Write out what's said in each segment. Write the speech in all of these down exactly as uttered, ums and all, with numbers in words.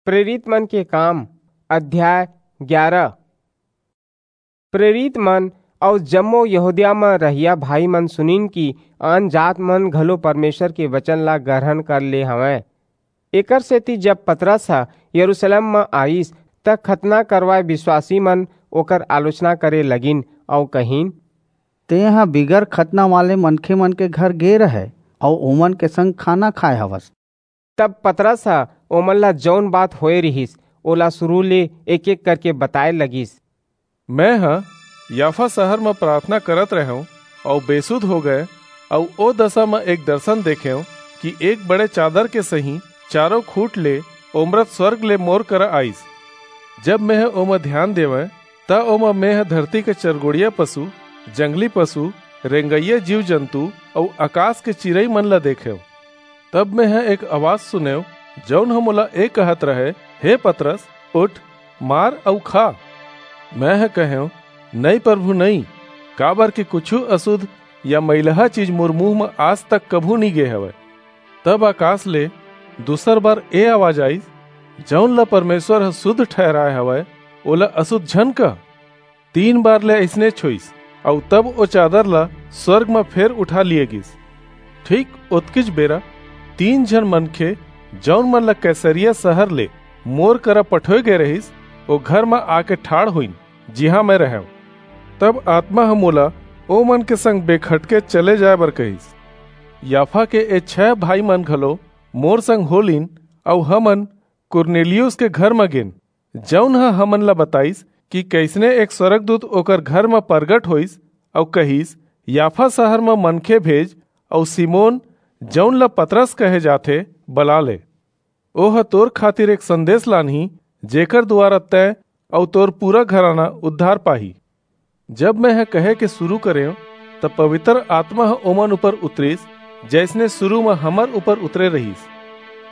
प्रेरित मन के काम, अध्याय ग्यारह। प्रेरित मन अऊ जम्मो यहूदिया म रहइया भाई मन सुनिन कि आन जात मन घलो परमेश्वर के वचन ला ग्रहण कर ले हवंय। एकर सेती जब पतरस ह यरूशलेम म आईस, त खतना करवाए विश्वासी मन ओकर आलोचना करे लगिन अऊ कहिन, "तेंह बिगर खतना वाले मनखे मन के घर गे रहय अऊ ओमन के संग खाना खाए हवस।" तब पतरस ह ओमन ला जऊन बात होए रिहिस, ओला सुरू ले एक-एक करके बताए लगिस। मैं ह याफा शहर म प्रार्थना करत रहेंव अऊ बेसुध हो गए, अऊ ओ दशा म एक दर्शन देखेंव कि एक बड़े चादर के सहीं चारों खूंट ले ओमरत स्वर्ग ले मोर करा आईस। जब मैं ह ओमा ध्यान देवंय, त ओमा मैं ह धरती के चरगोड़िया पशु, जंगली पशु, रेंगइया जीव जंतु अऊ आकाश के चिरई मन ला देखेंव। तब मैं ह एक आवाज सुनेंव, जऊन ह मोला ए कहत रहे, "हे पतरस, उठ, मार अऊ खा।" मैं ह कहेंव, "नई प्रभु, नई, काबर कि कुछू असुध या मइलहा चीज मोर मुंह म आज तक कभू नी गे हवय।" तब आकाश ले दूसर बार ए आवाज आईस, "जऊन ला परमेश्वर ह सुध ठहराय हवय, ओला असुध झन कह।" तीन बार ले अइसनेच होईस, अऊ तब ओ चादर ला स्वर्ग म फेर उठा लिये गीस। ठीक ओतकीच बेरा तीन झन मनखे, जऊन मन ला कैसरिया शहर ले मोर करा पठोय गए रहिस, ओ घर म आके ठाढ़ होइन, जिहां मैं रहेंव। तब आत्मा ह मोला ओ मन के संग बेखटके चले जाय बर कहिस। याफा के ए छह भाई मन घलो मोर संग हो लीन, अऊ हमन कुरनेलियुस के घर म गेन, जऊन ह हमन ला बताईस कि कइसने एक स्वर्गदूत ओकर घर म परगट होईस अऊ कहिस, "याफा शहर म मनखे भेज अऊ सिमोन, जऊन ला पतरस कहे जाथे, बला ले। ओह तोर खातिर एक संदेश लानही, जेकर दुवारा तैं अऊ तोर पूरा घराना उद्धार पाही।" जब मैं ह कहे के सुरू करेंव, त पवित्र आत्मा ह ओमन ऊपर उतरिस, जइसने सुरू म हमर ऊपर उतरे रहिस।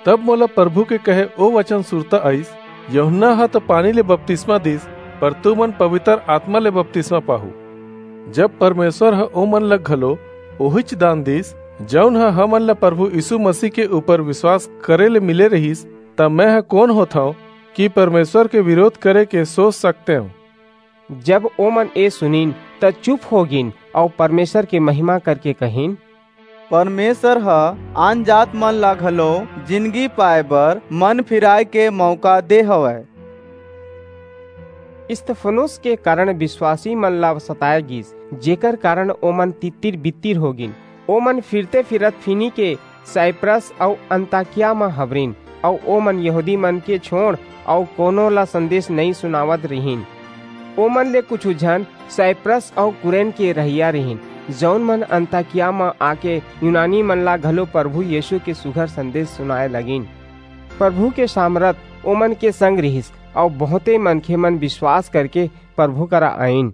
तब मोला प्रभु के कहे ओ वचन सुरता आईस, "यूहन्ना ह त पानी ले बपतिस्मा दीस, पर तुमन पवित्र आत्मा ले बपतिस्मा पाहू।" जब परमेश्वर ह ओमन ल घलो ओहिच दान दीस, जऊन ह हमन ल प्रभु यीशु मसीह के ऊपर विश्वास करे ले मिले रहिस, त मैं ह कोन होथंव कि परमेश्वर के विरोध करे के सोच सकतेंव? जब ओमन ए सुनिन, त चुप हो गिन अऊ परमेश्वर के महिमा करके कहिन, "परमेश्वर ह आनजात मन ला घलो जिनगी पाए बर मन फिराए के मौका दे हवय।" स्तिफनुस के कारण विश्वासी मन ला सताए गिस, जेकर कारण ओमन तितिर-बितिर हो गिन। ओमन फिरते-फिरत फीनीके, साइप्रस अऊ अंताकिया म हबरिन, अऊ ओमन यहूदी मन के छोंड़ अऊ कोनो ला संदेश नइं सुनावत रिहिन। ओमन ले कुछू झन साइप्रस अऊ कुरेन के रहइया रिहिन, जऊन मन अंताकिया म आके यूनानी मन ला घलो प्रभु यीशु के सुघर संदेश सुनाए लगिन। प्रभु के सामरथ ओमन के संग रिहिस, अऊ बहुंते मनखे मन विश्वास करके प्रभु करा आईन।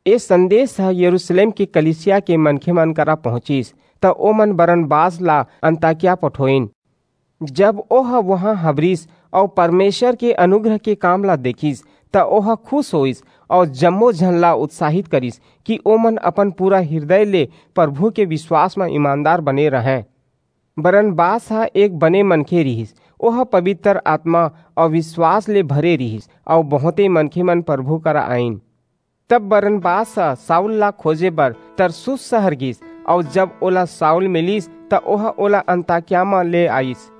ए संदेश ह यरूशलेम के कलीसिया के मनखे मन करा पहुंचिस, त ओमन बरनबास ला अंताकिया पठोईन। जब ओह उहां हबरिस अऊ परमेश्वर के अनुग्रह के काम ला देखिस, त ओह खुस होईस अऊ जम्मो झन ला उत्साहित करिस कि ओमन अपन पूरा हिरदय ले प्रभु के विश्वास म ईमानदार बने रहंय। बरनबास ह एक बने मनखे रिहिस, ओह पबितर आतमा अऊ विश्वास ले भरे रिहिस, अऊ बहुंते मनखे मन प्रभु करा आईन। तब बरनबास ह साऊल ला खोजे बर तरसुस सहर गीस, अऊ जब ओला साऊल मिलिस, त ओह ओला अंताकिया म ले आईस।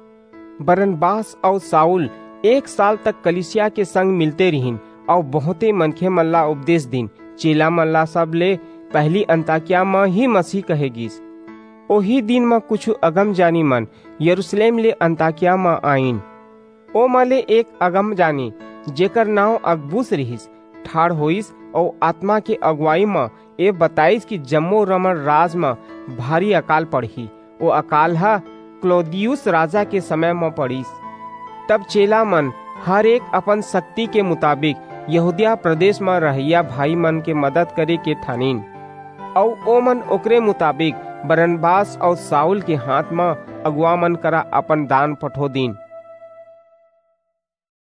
बरनबास अऊ साऊल एक साल तक कलीसिया के संग मिलते रिहिन, अऊ बहुंते मनखे मन ला उपदेश दीन। चेला मन ला सबले पहिली अंताकिया म ही मसीह कहे गीस। ओही दिन म कुछू अगमजानी मन यरूशलेम ले अंताकिया म आईन। ओमा ले एक अगमजानी, जेकर नांव अगबुस रिहिस, ठाढ़ होईस अऊ आतमा के अगुवाई म ए बताईस कि जम्मो रोमन राज म भारी अकाल पड़ही। ओ अकाल ह क्लौदियुस राजा के समय म पड़िस। तब चेला मन हर एक अपन सक्ति के मुताबिक यहूदिया प्रदेश म रहइया भाई मन के मदद करे के ठानिन, अऊ ओमन ओकरे मुताबिक बरनबास अऊ साऊल के हांथ म अगुवा मन करा अपन दान पठो दीन।